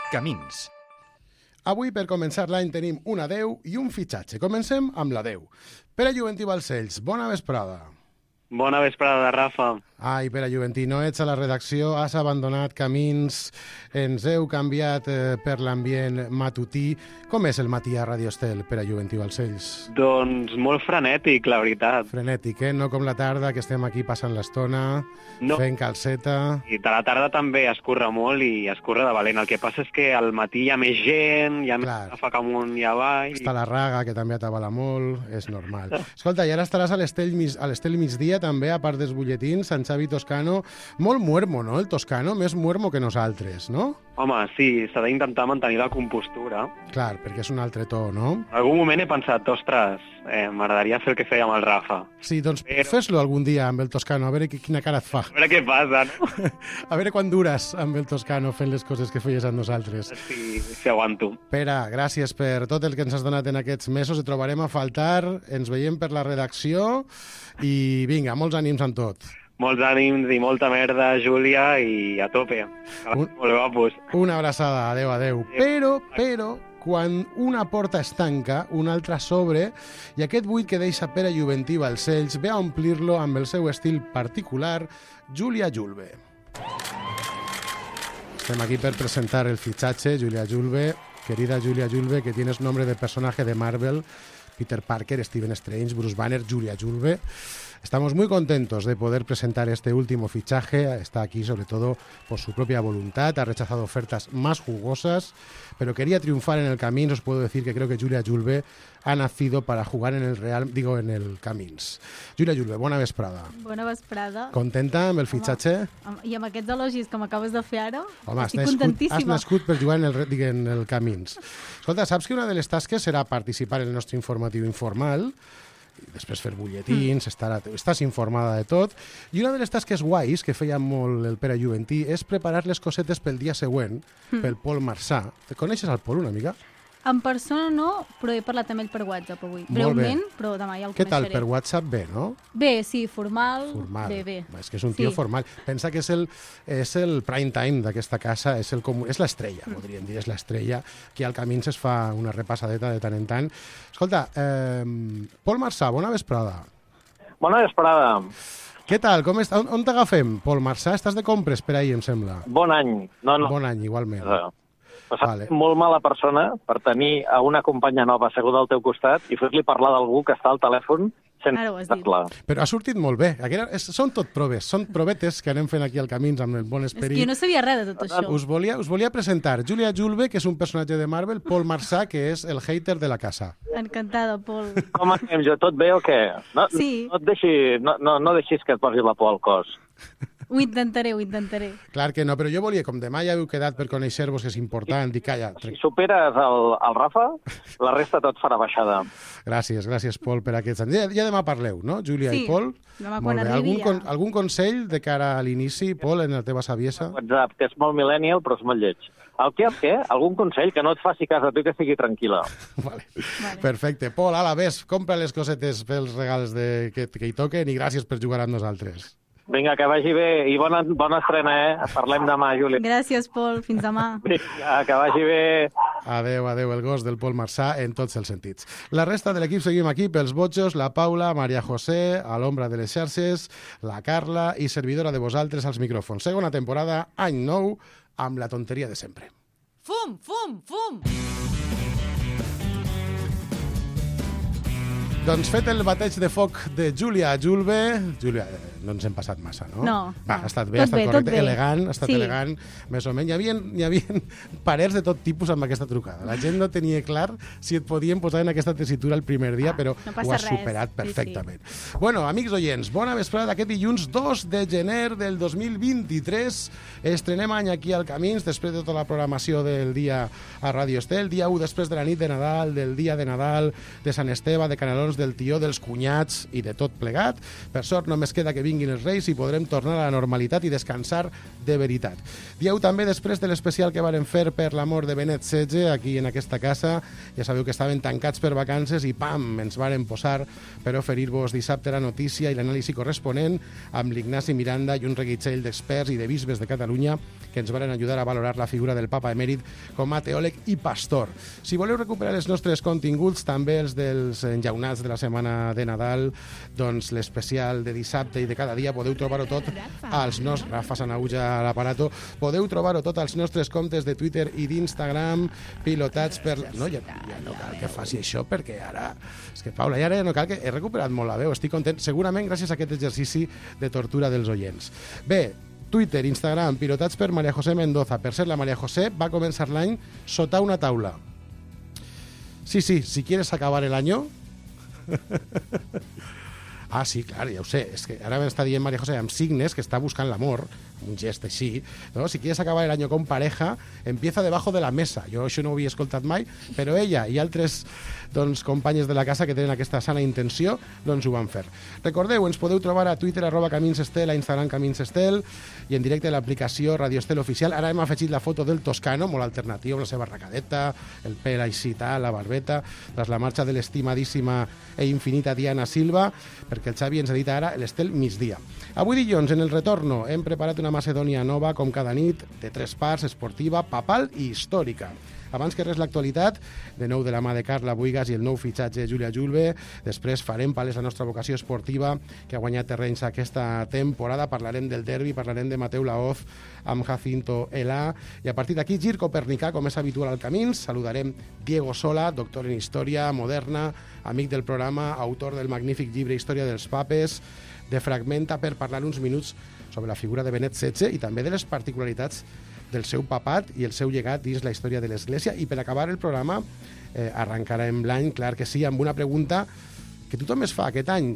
Camins. Avui, per començar l'any, tenim un adeu i un fitxatge. Comencem amb l'adeu. Pere Juventí Balcells, bona vesprada. Bona vesprada, Rafa. Ai, Pere Juventí, no ets a la redacció, has abandonat Camins, ens heu canviat per l'ambient matutí. Com és el matí a Radio Estel, Pere Juventí Balcells? Doncs molt frenètic, la veritat. Frenètic, no com la tarda, que estem aquí passant l'estona, fent calceta. I de la tarda també es corre molt i es corre de valent. El que passa és que al matí hi ha més gent, hi ha més ràfec amunt i avall. Està la Raga, que també atabala molt, és normal. Escolta, i ara estaràs a l'Estel migdia, també, a part dels butlletins, Sant Xavi Toscano. Molt muermo, no?, el Toscano, més muermo que nosaltres, no? Home, sí, s'ha d'intentar mantenir la compostura. Clar, perquè és un altre to, no? En algun moment he pensat, ostres, m'agradaria fer el que feia amb el Rafa. Sí, doncs fes-lo algun dia amb el Toscano, a veure quina cara et fa. A veure què passa, no? A veure quan dures amb el Toscano fent les coses que feies amb nosaltres. Sí, aguanto. Pere, gràcies per tot el que ens has donat en aquests mesos. Et trobarem a faltar, ens veiem per la redacció i vinga, molts ànims amb tot. Molts ànims i molta merda, Júlia, i a tope. Molt guapos. Una abraçada, adeu, adeu. Però, quan una porta es tanca, una altra s'obre, i aquest buit que deixa Pere Juventí Balcells ve a omplir-lo amb el seu estil particular, Júlia Julve. Estem aquí per presentar el fitxatge, Júlia Julve. Querida Júlia Julve, que tienes nombre de personaje de Marvel, Peter Parker, Stephen Strange, Bruce Banner, Júlia Julve. Estamos muy contentos de poder presentar este último fichaje. Está aquí sobre todo por su propia voluntad. Ha rechazado ofertas más jugosas, pero quería triunfar en el Camins. Os puedo decir que creo que Júlia Julve ha nacido para jugar en en el Camins. Júlia Julve, bona vesprada. Bona vesprada. Contenta amb el fitxatge? I amb aquests elogis que m'acabes de fer ara, home, estic contentíssima. Has nascut per jugar en el Camins. Escolta, saps que una de les tasques serà participar en el nostre informatiu informal, després fer butlletins, estàs informada de tot, i una de les tasques guais que feia molt el Pere Juventí és preparar les cosetes pel dia següent, pel Pol Marçà. Te coneixes el Pol una mica? En persona no, però he parlat amb ell per WhatsApp avui. Molt breument, bé. però demà ja el Què coneixeré. tal, per WhatsApp bé, no? Bé, sí, formal. Bé. És que és un tio formal. Pensa que és el prime time d'aquesta casa, és l'estrella, podríem dir, és l'estrella, que al Camins es fa una repassadeta de tant en tant. Escolta, Pol Marçà, bona vesprada. Bona vesprada. Què tal? On t'agafem, Pol Marçà? Estàs de compres per ahir, em sembla. Bon any. No. Bon any, igualment. Molt mala persona per tenir a una companya nova asseguda al teu costat i fer-li parlar d'algú que està al telèfon sense parlar. Però ha sortit molt bé. Són tot proves, són provetes que anem fent aquí al Camins amb el bon esperit. És que jo no sabia res de tot això. Us volia presentar Júlia Julve, que és un personatge de Marvel, Pol Marçà, que és el hater de la casa. Encantada, Pol. Com anem jo? Tot bé o què? Sí. No deixis que et posi la por al cos. Ho intentaré. Clar que no, però jo volia, com demà ja heu quedat per conèixer-vos, que és important, i calla. Si superes el Rafa, la resta tot farà baixada. Gràcies, Pol, per aquests anys. Ja demà parleu, no, Júlia i Pol? Sí, demà quan arribi ja. Algun consell de cara a l'inici, Pol, en la teva saviesa? WhatsApp, que és molt millennial, però és molt lleig. El què? Algun consell que no et faci cas a tu i que sigui tranquil·la. Vale. Perfecte. Pol, ala, ves, compra les cosetes pels regals que hi toquen i gràcies per jugar amb nosaltres. Vinga, que vagi bé i bona estrena, Parlem demà, Júlia. Gràcies, Pol. Fins demà. Vinga, que vagi bé. Adeu, el gos del Pol Marçà en tots els sentits. La resta de l'equip seguim aquí pels botxos, la Paula, Maria José, a l'ombra de les xarxes, la Carla i servidora de vosaltres als micròfons. Segona temporada, any nou, amb la tonteria de sempre. Fum, fum, fum! Doncs fet el bateig de foc de Júlia Julve... Júlia, no ens hem passat massa, no? No. Va, ha estat bé, ha estat correcte, elegant, elegant, més o menys. Hi havia parers de tot tipus amb aquesta trucada. La gent no tenia clar si et podien posar en aquesta tessitura el primer dia, però ho has superat perfectament. Sí. Bueno, amics oients, bona vesprada d'aquest dilluns 2 de gener del 2023. Estrenem any aquí al Camins, després de tota la programació del dia a Radio Estel, dia 1 després de la nit de Nadal, del dia de Nadal, de Sant Esteve, de Canelons, del tió, dels cunyats i de tot plegat. Per sort només queda que vinguin els Reis i podrem tornar a la normalitat i descansar de veritat. Dieu també, després de l'especial que varen fer per la mort de Benet XVI aquí en aquesta casa, ja sabeu que estaven tancats per vacances i pam, ens varen posar per oferir-vos dissabte la notícia i l'anàlisi corresponent amb l'Ignasi Miranda i un reguitzell d'experts i de bisbes de Catalunya que ens varen ajudar a valorar la figura del papa emèrit com a teòleg i pastor. Si voleu recuperar els nostres continguts, també els dels enllaunats de la setmana de Nadal, doncs l'especial de dissabte i de cada dia, podeu trobar-ho tot als nostres... Rafa Sanauja a l'aparato. Podeu trobar-ho tot als nostres comptes de Twitter i d'Instagram, pilotats per... No, ja no cal que faci això, perquè ara... És que, Paula, ja no cal que... He recuperat molt la veu, estic content, segurament gràcies a aquest exercici de tortura dels oients. Bé, Twitter, Instagram, pilotats per María José Mendoza. Per cert, la María José va començar l'any sota una taula. Sí, si quieres acabar el año... Ah, sí, clar, ja ho sé. És que ara m'està dient María José amb signes que està buscant l'amor, un gest així, no? Si quieres acabar el año con pareja, empieza debajo de la mesa. Jo això no ho havia escoltat mai, però ella i altres companyes de la casa que tenen aquesta sana intenció, doncs ho van fer. Recordeu, ens podeu trobar a Twitter @CaminsEstel, a Instagram CaminsEstel i en directe a l'aplicació Radio Estel Oficial. Ara hem afegit la foto del Toscano, molt alternatiu, amb la seva arracadeta, el pèl així tal, la barbeta, tras la marxa de l'estimadíssima e infinita Diana Silva, perquè el Xavi ens edita ara l'Estel migdia. Avui dilluns, en el retorno, hem preparat una Macedònia nova, com cada nit, de 3 parts, esportiva, papal i històrica. Abans que res l'actualitat, de nou de la mà de Carla Buigas i el nou fitxatge Júlia Julve. Després farem palès la nostra vocació esportiva, que ha guanyat terrenys aquesta temporada. Parlarem del derbi, parlarem de Mateu Laoz amb Jacinto Elà. I a partir d'aquí, gir copernicà, com és habitual al Camins. Saludarem Diego Sola, doctor en Història Moderna, amic del programa, autor del magnífic llibre Història dels Papes, de Fragmenta, per parlar uns minuts sobre la figura de Benet XVI i també de les particularitats del seu papat i el seu llegat dins la història de l'Església. I per acabar el programa, arrencarem l'any, clar que sí, amb una pregunta que tothom es fa aquest any.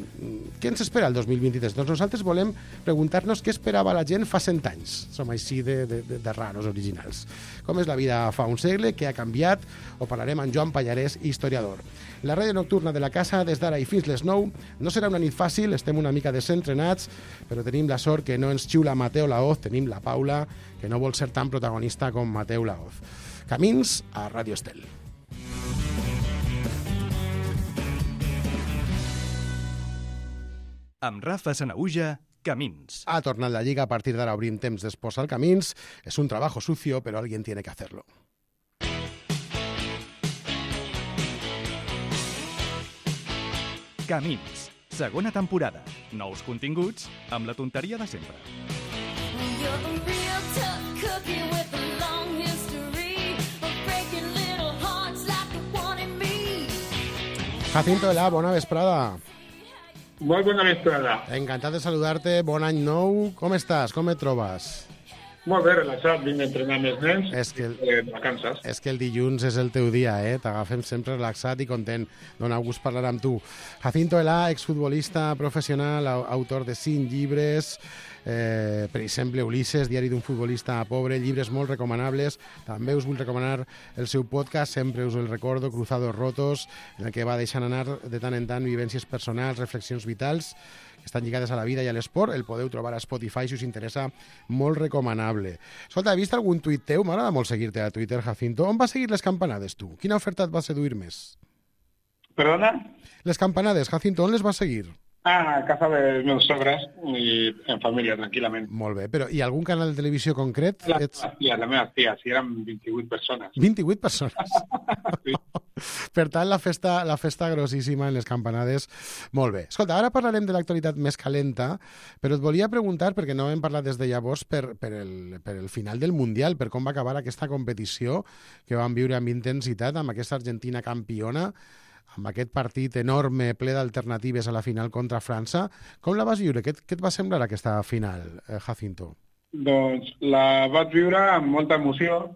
Què ens espera el 2023? Doncs nosaltres volem preguntar-nos què esperava la gent fa 100 anys. Som així de raros, originals. Com és la vida fa un segle, què ha canviat? O parlarem amb Joan Pallarès, historiador. La ràdio nocturna de la casa, des d'ara i fins les 9, no serà una nit fàcil, estem una mica desentrenats, però tenim la sort que no ens xiula Mateu Laoz, tenim la Paula, que no vol ser tan protagonista com Mateu Laoz. Camins a Ràdio Estel. Amb Rafa Sanauja, Camins. Ha tornat la Lliga, a partir d'ara obrim temps d'espòs al Camins. És un trabajo sucio, però alguien tiene que hacerlo. Camins, segona temporada. Nous continguts amb la tonteria de sempre. Jacinto Elà, bona vesprada. Molt bona vesprada. Encantat de saludar-te, bon any nou. Com estàs? Com et trobes? Molt bé, relaxat, vinc a entrenar amb els nens, vacances. És que el dilluns és el teu dia, t'agafem sempre relaxat i content. Dona gust parlar amb tu. Jacinto Elà, exfutbolista professional, autor de 5 llibres, per exemple, Ulises, diari d'un futbolista pobre, llibres molt recomanables. També us vull recomanar el seu podcast, sempre us el recordo, Cruzados Rotos, en el que va deixant anar de tant en tant vivències personals, reflexions vitals, que estan lligades a la vida i a l'esport. El podeu trobar a Spotify si us interessa, molt recomanable. Escolta, he vist algun tuit teu? M'agrada molt seguir-te a Twitter, Jacinto. On vas seguir les campanades, tu? Quina oferta et va seduir més? Perdona? Les campanades, Jacinto, on les vas seguir? A casa dels meus sogres i en família, tranquil·lament. Molt bé, però hi ha algun canal de televisió concret? La meva tia, si eren 28 persones. 28 persones? Sí. Per tant, la festa grossíssima en les campanades. Molt bé. Escolta, ara parlarem de l'actualitat més calenta, però et volia preguntar, perquè no hem parlat des de llavors, per el final del Mundial, per com va acabar aquesta competició que vam viure amb intensitat, amb aquesta Argentina campiona, amb aquest partit enorme, ple d'alternatives a la final contra França. Com la vas viure? Què et va semblar aquesta final, Jacinto? Doncs la vaig viure amb molta emoció,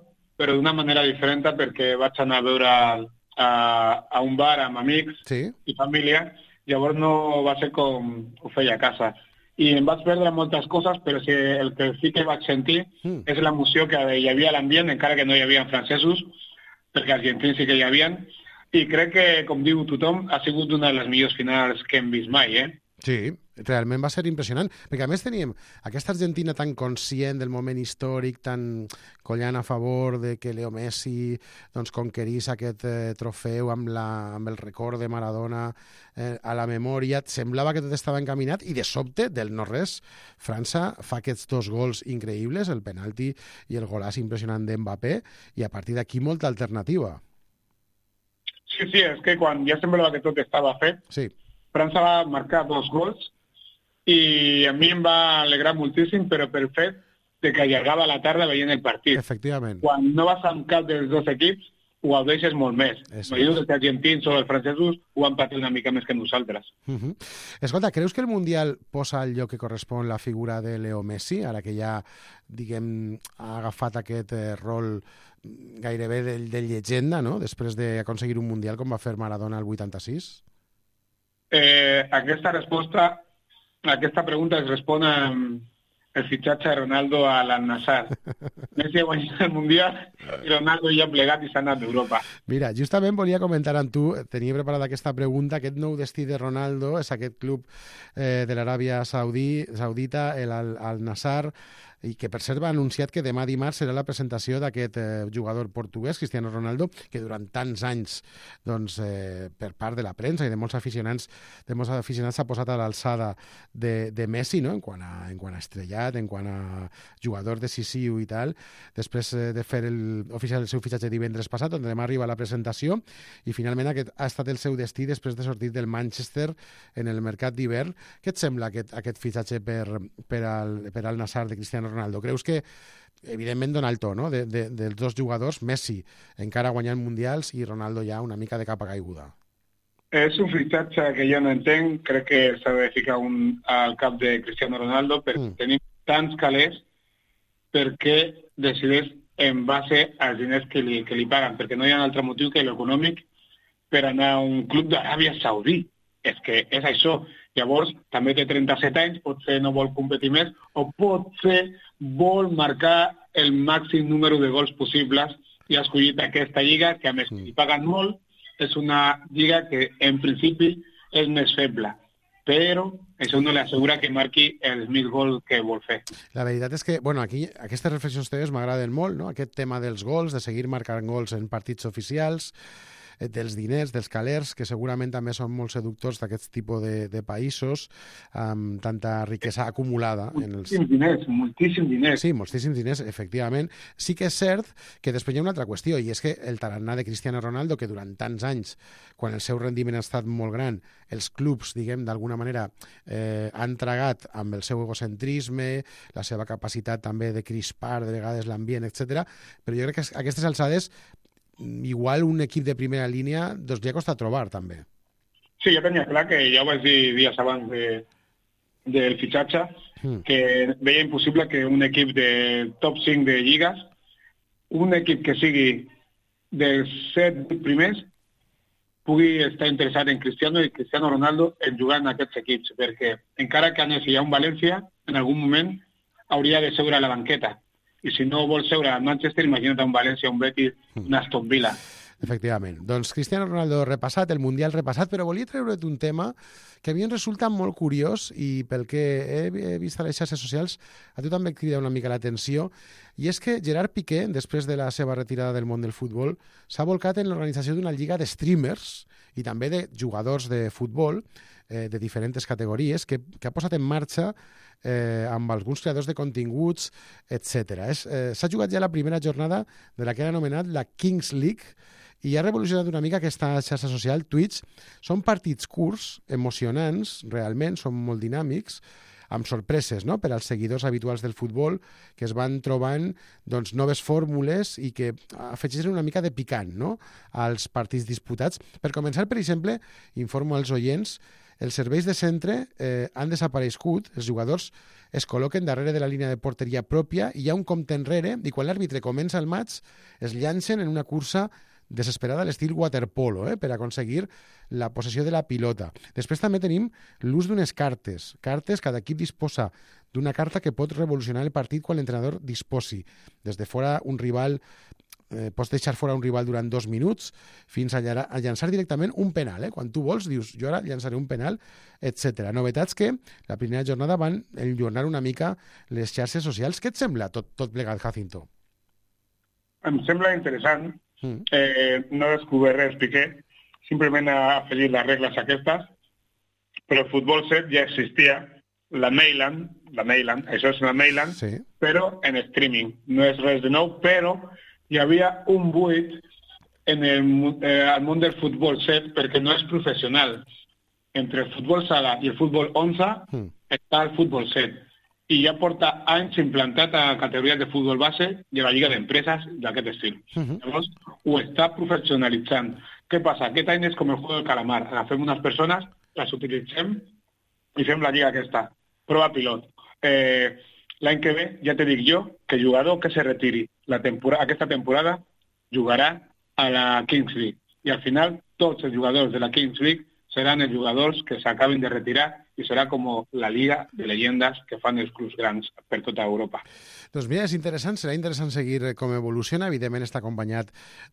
però d'una manera diferent, perquè vaig anar a veure a un bar amb amics i família, llavors no va ser com ho feia a casa. I em vaig perdre moltes coses, però el que sí que vaig sentir és l'emoció que hi havia a l'ambient, encara que no hi havia francesos, perquè argentins sí que hi havia. I crec que, com diu tothom, ha sigut una de les millors finals que hem vist mai, Sí, realment va ser impressionant, perquè a més teníem aquesta Argentina tan conscient del moment històric, tan collant a favor de que Leo Messi doncs, conquerís aquest trofeu amb el record de Maradona a la memòria. Semblava que tot estava encaminat i de sobte, del no-res, França fa aquests 2 gols increïbles, el penalti i el golaç impressionant d'Mbappé, i a partir d'aquí molta alternativa. Sí, és que quan ja semblava que tot estava fet, sí. França va marcar 2 gols i a mi em va alegrar moltíssim, però per fet de que allargava la tarda veient el partit. Efectivament. Quan no vas amb cap dels 2 equips, ho gaudeixes molt més. Imagino que els argentins o els francesos ho han patit una mica més que nosaltres. Escolta, creus que el Mundial posa al lloc que correspon la figura de Leo Messi, ara que ja, diguem, ha agafat aquest rol gairebé de llegenda, no?, després d'aconseguir un Mundial com va fer Maradona el 86? Aquesta pregunta es respon amb el fitxatge de Ronaldo a l'Al-Nassr. Messi ha guanyat el Mundial i Ronaldo ja ha plegat i s'ha anat d'Europa. Mira, justament volia comentar amb tu, tenia preparada aquesta pregunta, aquest nou destí de Ronaldo és aquest club de l'Aràbia Saudita, Al-Nassr, i que per cert va anunciat que demà dimarts serà la presentació d'aquest jugador portuguès, Cristiano Ronaldo, que durant tants anys, doncs, per part de la premsa i de molts aficionats s'ha posat a l'alçada de Messi, no?, en quant a estrellat, en quant a jugador decisiu i tal, després de fer oficial el seu fitxatge divendres passat, on demà arriba la presentació, i finalment aquest ha estat el seu destí després de sortir del Manchester en el mercat d'hivern. Què et sembla aquest fitxatge per al Nassr de Cristiano Ronaldo? Creus que, evidentment, dona el to, no?, dels 2 jugadors, Messi encara guanyant mundials i Ronaldo ja una mica de capa caiguda? És un fitxatge que jo no entenc. Crec que s'ha de ficar al cap de Cristiano Ronaldo perquè tenim tants calés perquè decideix en base als diners que li paguen, perquè no hi ha un altre motiu que l'econòmic per anar a un club d'Aràbia Saudí. És que és això. Llavors, també té 37 anys, potser no vol competir més, o potser vol marcar el màxim número de gols possibles i ha escollit aquesta lliga, que a més li paguen molt, és una lliga que en principi és més feble, però això no li assegura que marqui els 1.000 gols que vol fer. La veritat és que, bueno, aquí aquestes reflexions teves m'agraden molt, no?, aquest tema dels gols, de seguir marcant gols en partits oficials, dels diners, dels calers, que segurament també són molt seductors d'aquest tipus de països, amb tanta riquesa acumulada. Moltíssims diners. Sí, moltíssims diners, efectivament. Sí que és cert que després hi ha una altra qüestió, i és que el tarannà de Cristiano Ronaldo, que durant tants anys, quan el seu rendiment ha estat molt gran, els clubs, diguem, d'alguna manera, han tragat amb el seu egocentrisme, la seva capacitat també de crispar de vegades l'ambient, etc. Però jo crec que a aquestes alçades igual un equip de primera línia doncs li ha costat trobar, també. Sí, jo tenia clar, que ja ho vaig dir dies abans del fitxatge, que veia impossible que un equip de top 5 de lligues, un equip que sigui dels 7 primers, pugui estar interessat en Cristiano i Cristiano Ronaldo en jugar en aquests equips, perquè encara que anés a un València, en algun moment hauria de seure a la banqueta. I si no vol seure a Manchester, imagina't un València, un Betis, un Aston Villa. Efectivament. Doncs Cristiano Ronaldo repassat, el Mundial repassat, però volia treure't un tema que a mi em resulta molt curiós i pel que he vist a les xarxes socials a tu també et crida una mica l'atenció, i és que Gerard Piqué, després de la seva retirada del món del futbol, s'ha volcat en l'organització d'una lliga de streamers i també de jugadors de futbol de diferents categories que ha posat en marxa amb alguns creadors de continguts, etc. S'ha jugat ja la primera jornada de la que han anomenat la Kings League i ha revolucionat una mica aquesta xarxa social, Twitch. Són partits curts, emocionants, realment, són molt dinàmics, amb sorpreses, no?, per als seguidors habituals del futbol, que es van trobant doncs, noves fórmules i que afegeixen una mica de picant, no?, als partits disputats. Per començar, per exemple, informo als oients, els serveis de centre han desaparegut, els jugadors es col·loquen darrere de la línia de porteria pròpia i hi ha un compte enrere i quan l'àrbitre comença el maig es llancen en una cursa desesperada a l'estil waterpolo, per aconseguir la possessió de la pilota. Després també tenim l'ús d'unes cartes. Cada equip disposa d'una carta que pot revolucionar el partit quan l'entrenador disposi. Des de fora, un rival pots deixar fora un rival durant 2 minuts fins a llançar directament un penal. Quan tu vols, dius, jo ara llançaré un penal, etc. Novetats que la primera jornada van enllornar una mica les xarxes socials. Què et sembla tot plegat, Jacinto? Em sembla interessant. No he descobert res, Piqué. Simplement ha afegit les regles aquestes, però el futbol 7 ja existia. La Mailand, això és una Mailand, sí. Però en streaming. No és res de nou, però hi havia un buit en el món del futbol 7 perquè no és professional. Entre el futbol sala i el futbol 11 està el futbol 7. I ja porta anys implantat a categories de futbol base i a la Lliga d'Empreses d'aquest estil. Llavors, ho està professionalitzant. Què passa? Aquest any és com el juego del calamar. Agafem unes persones, les utilitzem i fem la lliga aquesta. Prova pilot. L'any que ve, ja te dic jo, que el jugador que se retiri aquesta temporada jugarà a la Kings League. I al final, tots els jugadors de la Kings League seran els jugadors que s'acabin de retirar i serà com la liga de llegendes que fan els clubs grans per tota Europa. Doncs mira, és interessant, serà interessant seguir com evoluciona. Evidentment està acompanyat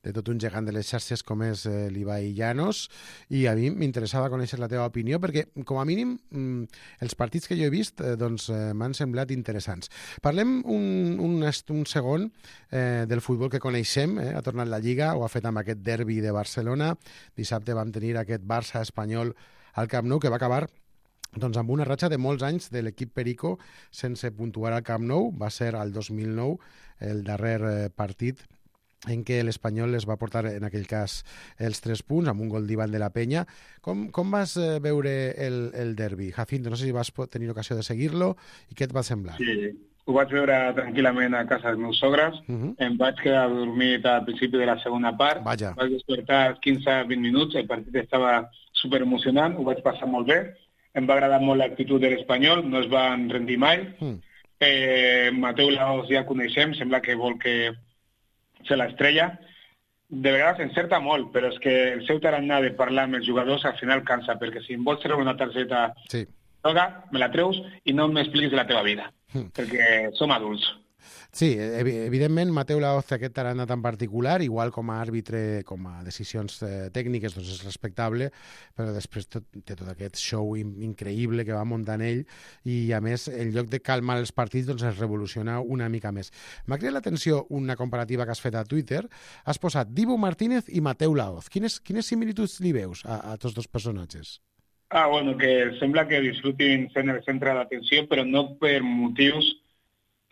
de tot un gegant de les xarxes com és l'Ibai Llanos, i a mi m'interessava conèixer la teva opinió perquè, com a mínim, els partits que jo he vist m'han semblat interessants. Parlem un segon del futbol que coneixem. Ha tornat la Lliga, ho ha fet amb aquest derbi de Barcelona. Dissabte vam tenir aquest Barça espanyol al Camp Nou, que va acabar amb una ratxa de molts anys de l'equip Perico sense puntuar al Camp Nou. Va ser al 2009 el darrer partit en què l'Espanyol es va portar, en aquell cas, els 3 punts, amb un gol d'Ivan de la Peña. Com vas veure el derbi, Jacinto? No sé si vas tenir ocasió de seguir-lo i què et va semblar? Sí, ho vaig veure tranquil·lament a casa dels meus sogres. Em vaig quedar dormit al principi de la segona part. Vaig despertar 15-20 minuts, el partit estava superemocionant, ho vaig passar molt bé. Em va agradar molt l'actitud de l'Espanyol, no es van rendir mai. Mateu Laoz ja coneixem, sembla que vol que se l'estrella. De vegades encerta molt, però és que el seu tarannà de parlar amb els jugadors al final cansa, perquè si em vols treure una targeta groga, me la treus i no m'expliquis de la teva vida, perquè som adults. Sí, evidentment Mateu Laoz té aquest tarannà tan particular, igual com a àrbitre, com a decisions tècniques, doncs és respectable, però després té tot aquest show increïble que va muntant ell, i a més, en lloc de calmar els partits, doncs es revoluciona una mica més. M'ha cridat l'atenció una comparativa que has fet a Twitter. Has posat Dibu Martínez i Mateu Laoz. Quines similituds li veus a tots dos personatges? Bueno, que sembla que disfrutin sent el centre d'atenció, però no per motius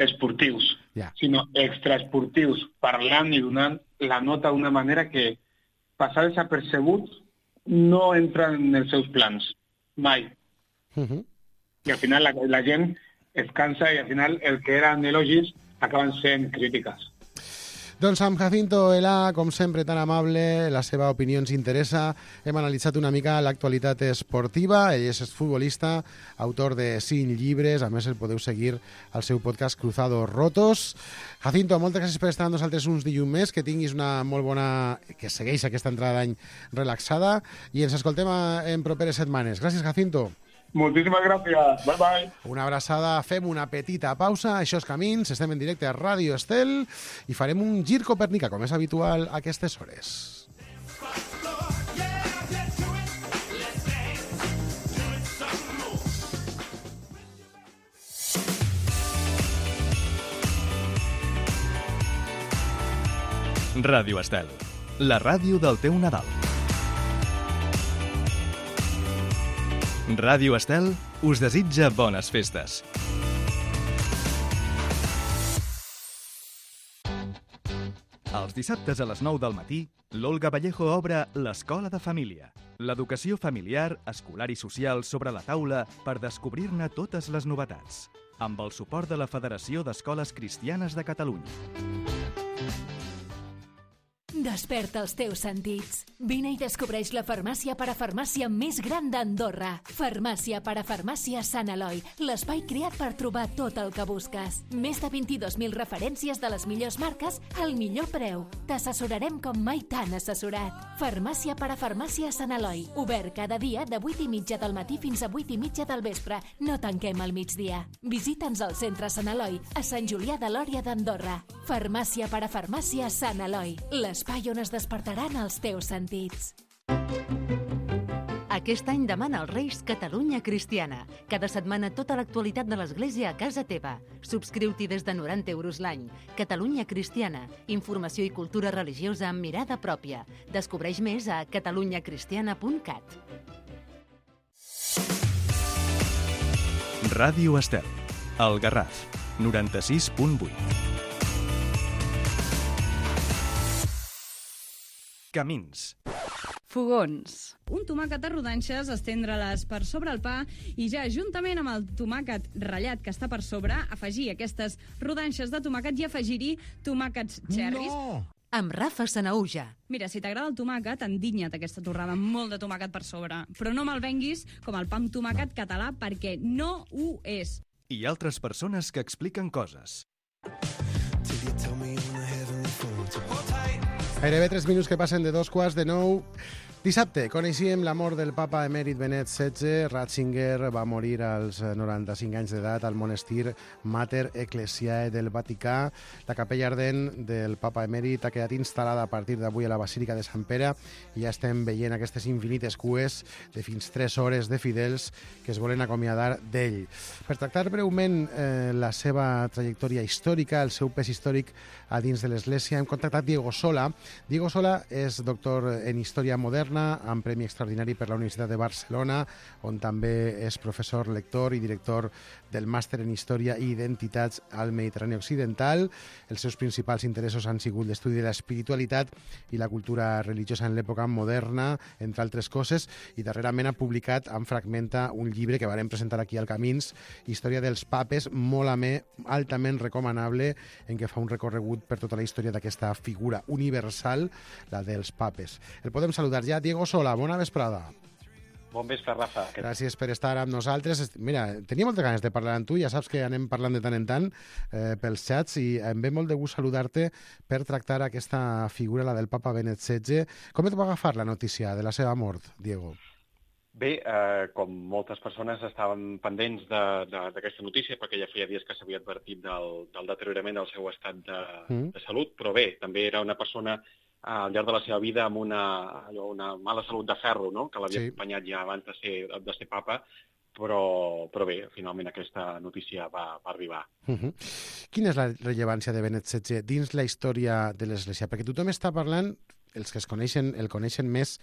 esportius, sinó extraesportius, parlant i donant la nota d'una manera que passar desapercebut no entra en els seus plans, mai. I al final la gent es cansa i al final el que eren elogis acaben sent crítiques. Doncs amb Jacinto Elà, com sempre tan amable, la seva opinió ens interessa. Hem analitzat una mica l'actualitat esportiva. Ell és futbolista, autor de 5 llibres. A més, el podeu seguir al seu podcast Cruzados Rotos. Jacinto, moltes gràcies per estar amb nosaltres uns dilluns més. Que tinguis una molt bona... que segueix aquesta entrada d'any relaxada. I ens escoltem en properes setmanes. Gràcies, Jacinto. Moltíssimes gràcies. Bye, bye. Una abraçada. Fem una petita pausa. Això és Camins. Estem en directe a Ràdio Estel i farem un gir copernicà, com és habitual a aquestes hores. Ràdio Estel, la ràdio del teu Nadal. Ràdio Estel us desitja bones festes. Els dissabtes a les 9 del matí, l'Olga Vallejo obre l'Escola de Família. L'educació familiar, escolar i social sobre la taula per descobrir-ne totes les novetats. Amb el suport de la Federació d'Escoles Cristianes de Catalunya. Desperta els teus sentits. Vine i descobreix la farmàcia parafarmàcia més gran d'Andorra. Farmàcia parafarmàcia Sant Eloi, l'espai creat per trobar tot el que busques. Més de 22.000 referències de les millors marques al millor preu. t'assessorarem com mai t'han assessorat. Farmàcia per a Farmàcia Sant Eloi. Obert cada dia de 8:30 del matí fins a 8:30 del vespre. No tanquem al migdia. Visita'ns al centre Sant Eloi, a Sant Julià de Lòria d'Andorra. Farmàcia per a Farmàcia Sant Eloi. L'espai on es despertaran els teus sentits. Aquest any demana als Reis Catalunya Cristiana. Cada setmana tota l'actualitat de l'Església a casa teva. Subscriu-t'hi des de 90 euros l'any. Catalunya Cristiana. Informació i cultura religiosa amb mirada pròpia. Descobreix més a catalunyacristiana.cat. Ràdio Estel, El Garraf, 96.8. Camins. Fogons. Un tomàquet a rodanxes, estendre-les per sobre el pa i ja juntament amb el tomàquet ratllat que està per sobre, afegir aquestes rodanxes de tomàquet i afegir-hi tomàquets xerris. No! Amb Rafa Sanauja. Mira, si t'agrada el tomàquet, endinya't aquesta torrada amb molt de tomàquet per sobre. Però no me'l venguis com el pa amb tomàquet català, perquè no ho és. I altres persones que expliquen coses. Gairebé 3 minuts que passen de 2:15. Dissabte coneixíem la mort del papa emèrit Benet XVI. Ratzinger va morir als 95 anys d'edat al monestir Mater Ecclesiae del Vaticà. La capella ardent del papa emèrit ha quedat instal·lada a partir d'avui a la Basílica de Sant Pere i ja estem veient aquestes infinites cues de fins 3 hores de fidels que es volen acomiadar d'ell. Per tractar breument la seva trajectòria històrica, el seu pes històric a dins de l'Església, hem contactat Diego Sola. Diego Sola és doctor en Història Moderna, amb Premi Extraordinari per la Universitat de Barcelona, on també és professor, lector i director del Màster en Història i Identitats al Mediterrani Occidental. Els seus principals interessos han sigut l'estudi de l'espiritualitat i la cultura religiosa en l'època moderna, entre altres coses, i darrerament ha publicat en Fragmenta un llibre que varem presentar aquí al Camins, Història dels papes, molt amè, altament recomanable, en què fa un recorregut per tota la història d'aquesta figura universal, la dels papes. El podem saludar ja. Diego Sola, bona vesprada. Bon vespre, Rafa. Gràcies per estar amb nosaltres. Mira, tenia moltes ganes de parlar amb tu, ja saps que anem parlant de tant en tant pels xats i em ve molt de gust saludar-te per tractar aquesta figura, la del papa Benet XVI. Com et va agafar la notícia de la seva mort, Diego? Bé, com moltes persones estaven pendents d'aquesta notícia, perquè ja feia dies que s'havia advertit del deteriorament del seu estat de salut, però bé, també era una persona al llarg de la seva vida amb una mala salut de ferro, no?, que l'havia acompanyat ja abans de ser papa, però bé, finalment aquesta notícia va arribar. Quina és la rellevància de Benet XVI dins la història de l'Església? Perquè tothom està parlant, els que el coneixen més,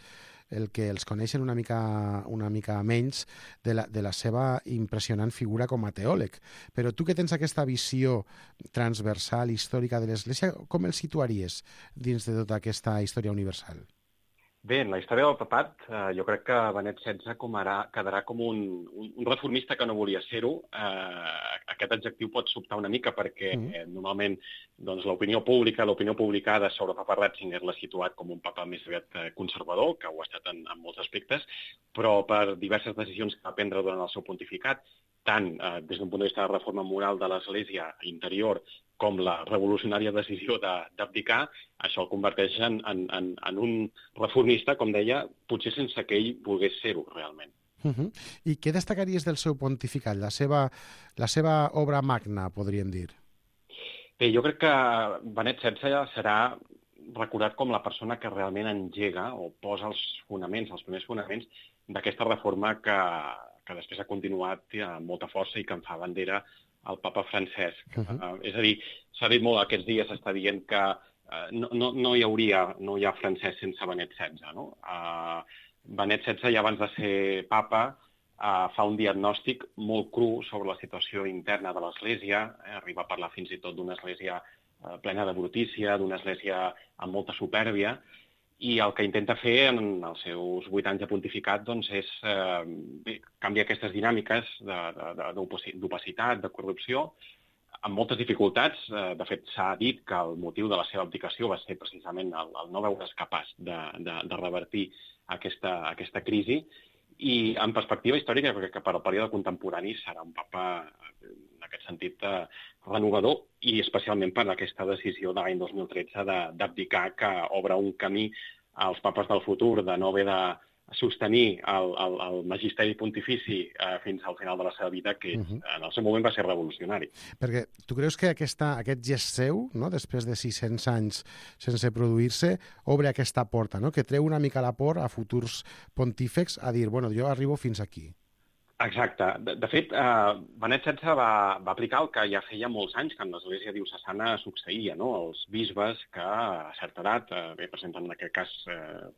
el que els coneixen una mica menys de la seva impressionant figura com a teòleg. Però tu que tens aquesta visió transversal històrica de l'Església, com el situaries dins de tota aquesta història universal? Bé, en la història del papat, jo crec que Benet XVI quedarà com un reformista que no volia ser-ho. Aquest adjectiu pot sobtar una mica perquè normalment l'opinió publicada sobre el papa Ratzinger l'ha situat com un papa més aviat conservador, que ho ha estat en molts aspectes, però per diverses decisions que va prendre durant el seu pontificat, tant des d'un punt de vista de reforma moral de l'Església interior com la revolucionària decisió d'abdicar, això el converteix en un reformista, com deia, potser sense que ell volgués ser-ho realment. I què destacaries del seu pontificat, la seva obra magna, podríem dir? Bé, jo crec que Benet XVI serà recordat com la persona que realment engega o posa els primers fonaments d'aquesta reforma que després ha continuat amb molta força i que en fa bandera el papa Francesc. És a dir, s'ha dit molt aquests dies, s'està dient que no hi ha Francesc sense Benet XVI, no? Benet XVI, ja abans de ser papa, fa un diagnòstic molt cru sobre la situació interna de l'Església, arriba a parlar fins i tot d'una església plena de brutícia, d'una església amb molta supèrbia, i el que intenta fer en els seus 8 anys de pontificat és canviar aquestes dinàmiques d'opacitat, de corrupció, amb moltes dificultats. De fet, s'ha dit que el motiu de la seva abdicació va ser precisament el no veure's capaç de revertir aquesta crisi, i en perspectiva històrica, crec que per al període contemporani serà un papa, en aquest sentit, renovador, i especialment per aquesta decisió de l'any 2013 d'abdicar, que obre un camí als papes del futur de no haver de sostenir el magisteri pontifici fins al final de la seva vida, que en el seu moment va ser revolucionari. Perquè tu creus que aquest gest seu, no, després de 600 anys sense produir-se, obre aquesta porta, no? Que treu una mica la por a futurs pontífex a dir, bueno, jo arribo fins aquí? Exacte. De fet, Benet XVI va aplicar el que ja feia molts anys que en l'Església diocesana succeïa, no? Els bisbes que a certa edat presenten en aquest cas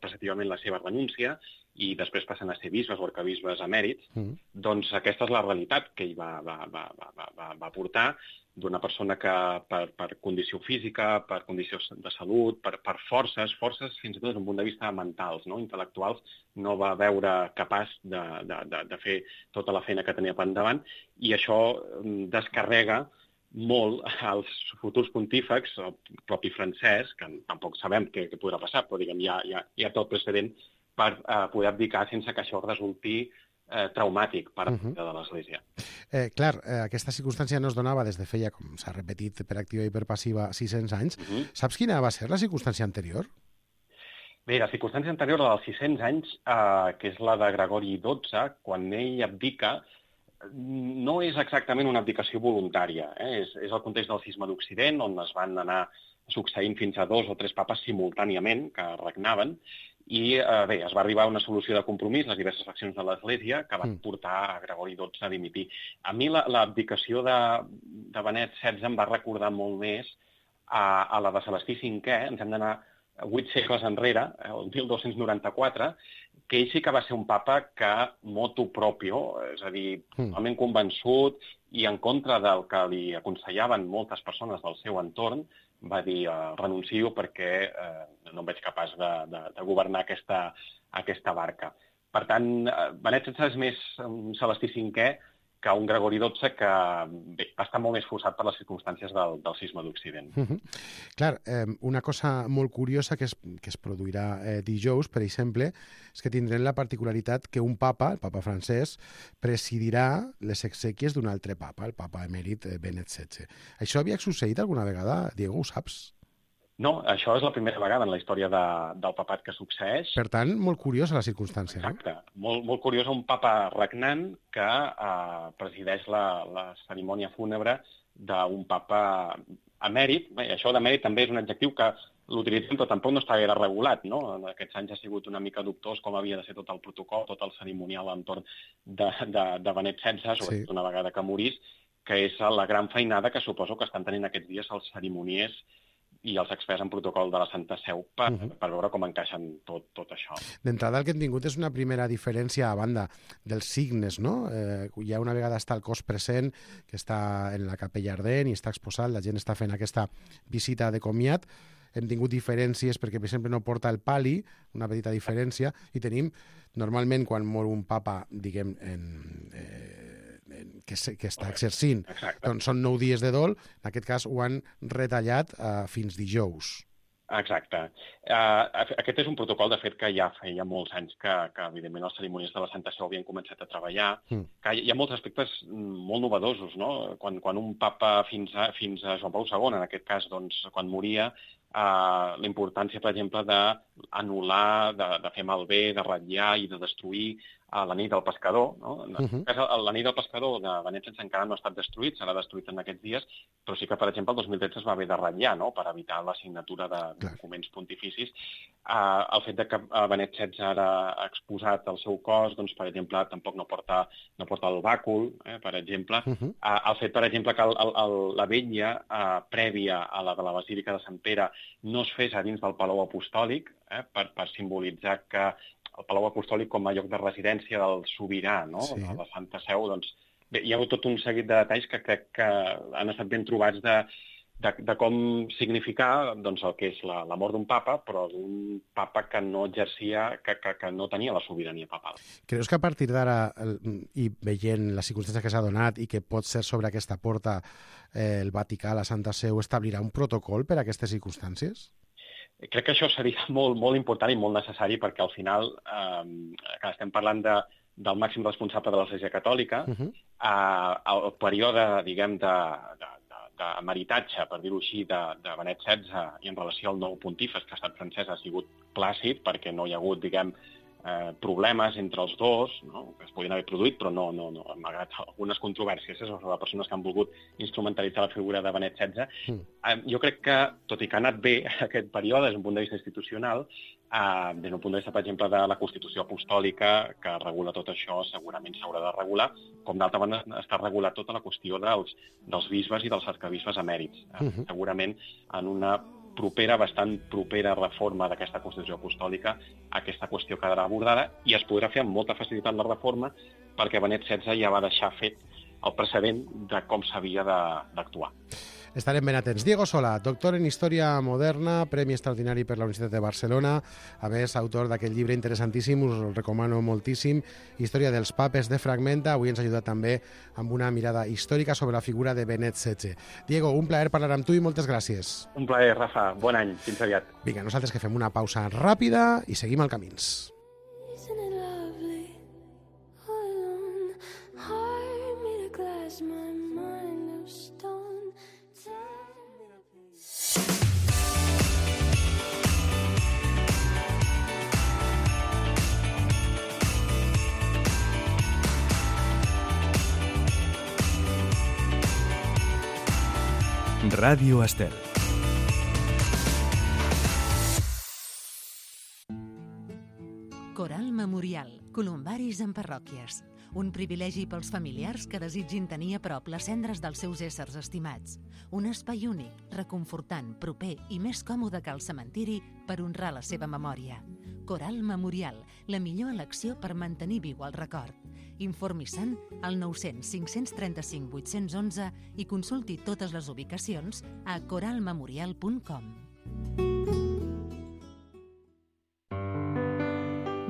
preceptivament la seva renúncia i després passen a ser bisbes o arquebisbes emèrits, doncs aquesta és la realitat que ell va portar, d'una persona que per condició física, per condició de salut, per forces fins i tot des d'un punt de vista mentals, no? Intel·lectuals, no va veure capaç de fer tota la feina que tenia per endavant, i això descarrega molt als futurs pontífex, el propi francès, que tampoc sabem què podrà passar, però diguem, hi ha tot precedent per poder abdicar sense que això resulti traumàtic per a de l'Església. Clar, aquesta circumstància no es donava des de feia, com s'ha repetit per activa i per passiva, 600 anys. Saps quina va ser la circumstància anterior? Bé, la circumstància anterior, la dels 600 anys, que és la de Gregori XII, quan ell abdica, no és exactament una abdicació voluntària. És el context del cisma d'Occident, on es van anar succeint fins a 2 o 3 papes simultàniament que regnaven, i bé, es va arribar a una solució de compromís, les diverses faccions de l'Església, que van portar a Gregori XII a dimitir. A mi l'abdicació de Benet XVI em va recordar molt més a la de Celestí V, ens hem d'anar 8 segles enrere, el 1294, que ell sí que va ser un papa que motu proprio, és a dir, totalment convençut i en contra del que li aconsellaven moltes persones del seu entorn, va dir renuncio perquè no em veig capaç de governar aquesta barca. Per tant, Benet XVI és més un Celestí V que un Gregori XII que va estar molt més forçat per les circumstàncies del cisma d'Occident. Clar, una cosa molt curiosa que es produirà dijous, per exemple, és que tindrem la particularitat que un papa, el papa francès, presidirà les exèquies d'un altre papa, el papa emèrit Benet XVI. Això havia succeït alguna vegada, Diego, ho saps? No, això és la primera vegada en la història del papat que succeeix. Per tant, molt curiosa la circumstància. Exacte. Molt curiosa, un papa regnant que presideix la cerimònia fúnebre d'un papa emèrit. Bé, això d'emèrit també és un adjectiu que l'utilitzem, però tampoc no està gaire regulat, no? En aquests anys ha sigut una mica dubtós com havia de ser tot el protocol, tot el cerimonial entorn de Benet XVI, sobretot una vegada que morís, que és la gran feinada que suposo que estan tenint aquests dies els cerimoniers i els experts en protocol de la Santa Seu per veure com encaixen tot això. D'entrada el que hem tingut és una primera diferència a banda dels signes, no? Ja una vegada està el cos present, que està en la capella ardent i està exposat, la gent està fent aquesta visita de comiat, hem tingut diferències perquè, per exemple, no porta el pali, una petita diferència, i tenim, normalment, quan mor un papa, diguem, que està exercint, doncs són 9 dies de dol, en aquest cas ho han retallat fins dijous. Exacte. Aquest és un protocol, de fet, que ja feia molts anys que evidentment, els cerimoniers de la Santa Seu havien començat a treballar. Que hi ha molts aspectes molt novedosos, no? Quan un papa fins a Joan Pau II, en aquest cas, doncs, quan moria, la importància, per exemple, d'anul·lar, de fer malbé, de ratllar i de destruir l'anell del pescador. No? En aquest cas, l'anell del pescador de Benet XVI encara no ha estat destruït, serà destruït en aquests dies, però sí que, per exemple, el 2013 es va haver de ratllar, no? Per evitar la signatura de documents pontificis. El fet que Benet XVI ara ha exposat el seu cos, doncs, per exemple, tampoc no porta el bàcul, per exemple. El fet, per exemple, que la vetlla prèvia a la de la Basílica de Sant Pere no es fes a dins del Palau Apostòlic, per simbolitzar que el Palau Apostòlic com a lloc de residència del sobirà, no? De la Santa Seu, doncs, bé, hi ha hagut tot un seguit de detalls que crec que han estat ben trobats de com significar doncs, el que és la mort d'un papa, però d'un papa que no exercia, que no tenia la sobirania papal. Creus que a partir d'ara, i veient la circumstància que s'ha donat i que pot ser sobre aquesta porta el Vaticà, la Santa Seu, establirà un protocol per a aquestes circumstàncies? Crec que això seria molt, molt important i molt necessari perquè al final estem parlant del màxim responsable de l'Església Catòlica, el període, diguem, d'emeritatge, per dir-ho així, de Benet XVI i en relació al nou pontífex, que ha estat francès, ha sigut plàcid, perquè no hi ha hagut, diguem, problemes entre els dos, no? Que es podien haver produït, però no, malgrat algunes controvèrsies sobre persones que han volgut instrumentalitzar la figura de Benet XVI. Jo crec que, tot i que ha anat bé aquest període des d'un punt de vista institucional, des d'un punt de vista, per exemple, de la Constitució Apostòlica, que regula tot això, segurament s'haurà de regular, com d'altra banda està regulat tota la qüestió dels bisbes i dels arcabisbes emèrits. Segurament en una bastant propera reforma d'aquesta Constitució Apostòlica, aquesta qüestió quedarà abordada i es podrà fer amb molta facilitat la reforma perquè Benet XVI ja va deixar fet el precedent de com s'havia d'actuar. Estarem ben atents. Diego Solà, doctor en Història Moderna, Premi Extraordinari per la Universitat de Barcelona, a més, autor d'aquest llibre interessantíssim, us el recomano moltíssim, Història dels papes de Fragmenta. Avui ens ha ajudat també amb una mirada històrica sobre la figura de Benet XVI. Diego, un plaer parlar amb tu i moltes gràcies. Un plaer, Rafa. Bon any. Fins aviat. Vinga, nosaltres que fem una pausa ràpida i seguim al Camins. Ràdio Estel. Coral Memorial, columbaris en parròquies. Un privilegi pels familiars que desitgin tenir a prop les cendres dels seus éssers estimats. Un espai únic, reconfortant, proper i més còmode que el cementiri per honrar la seva memòria. Coral Memorial, la millor elecció per mantenir viu el record. Informi-se'n al 900 535 811 i consulti totes les ubicacions a coralmemorial.com.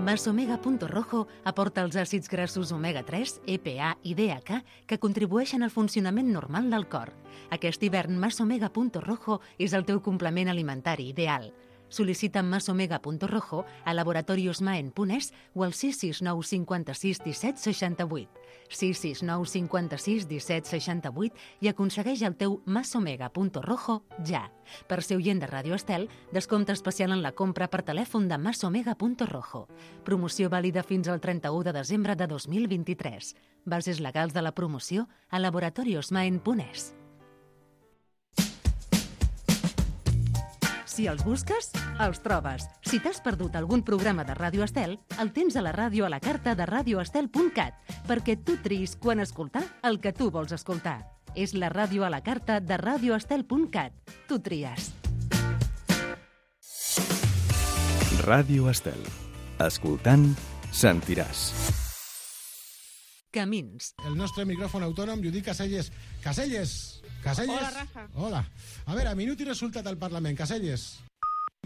Masomega.rojo aporta els àcids grassos omega-3, EPA i DHA que contribueixen al funcionament normal del cor. Aquest hivern Masomega.rojo és el teu complement alimentari ideal. Sol·licita Masomega.rojo a Laboratorios Maen Punès o al 669 56 17 68. 669 56 17 68 i aconsegueix el teu Masomega.rojo ja. Per ser oient de Ràdio Estel, descompte especial en la compra per telèfon de Masomega.rojo. Promoció vàlida fins al 31 de desembre de 2023. Bases legals de la promoció a Laboratorios Maen Punès. Si els busques, els trobes. Si t'has perdut algun programa de Ràdio Estel, el tens a la ràdio a la carta de radioestel.cat, perquè tu triïs quan escoltar el que tu vols escoltar. És la ràdio a la carta de radioestel.cat. Tu tries. Ràdio Estel. Escoltant, sentiràs. Camins. El nostre micròfon autònom, Judit Caselles. Caselles! Caselles? Hola, Rafa. Hola. A veure, minut i resultat al Parlament. Caselles.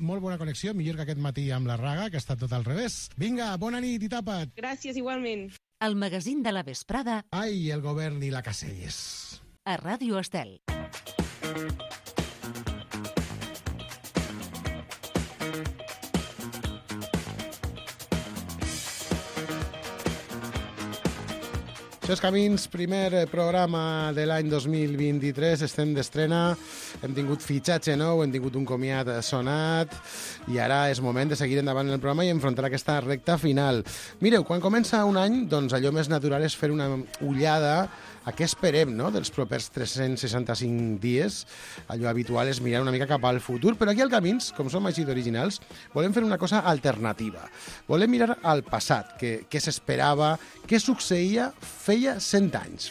Molt bona connexió, millor que aquest matí amb la Raga, que ha estat tot al revés. Vinga, bona nit i tapa't. Gràcies, igualment. El magazín de la vesprada. Ai, el govern i la Caselles. A Ràdio Estel. Això és Camins, primer programa de l'any 2023, estem d'estrena, hem tingut fitxatge nou, hem tingut un comiat sonat i ara és moment de seguir endavant en el programa i enfrontar aquesta recta final. Mireu, quan comença un any, doncs allò més natural és fer una ullada a què esperem, no?, dels propers 365 dies. Allò habitual és mirar una mica cap al futur, però aquí al Camins, com som així d'originals, volem fer una cosa alternativa. Volem mirar al passat, què s'esperava, què succeïa feia 100 anys.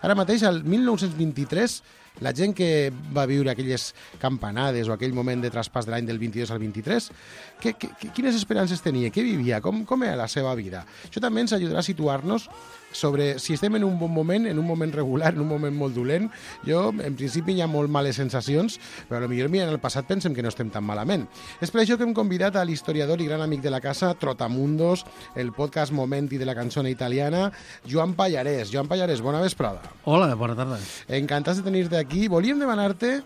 Ara mateix, al 1923, la gent que va viure aquelles campanades o aquell moment de traspàs de l'any del 22 al 23, quines esperances tenia, què vivia, com era la seva vida. Això també ens ajudarà a situar-nos sobre si estem en un bon moment, en un moment regular, en un moment molt dolent. Jo, en principi, hi ha molt males sensacions, però potser mirant el passat pensem que no estem tan malament. És per això que hem convidat a l'historiador i gran amic de la casa, Trotamundos, el podcast Momenti de la cançona italiana, Joan Pallarès. Joan Pallarès, bona vesprada. Hola, bona tarda. Encantats de tenir-te aquí. Volíem demanar-te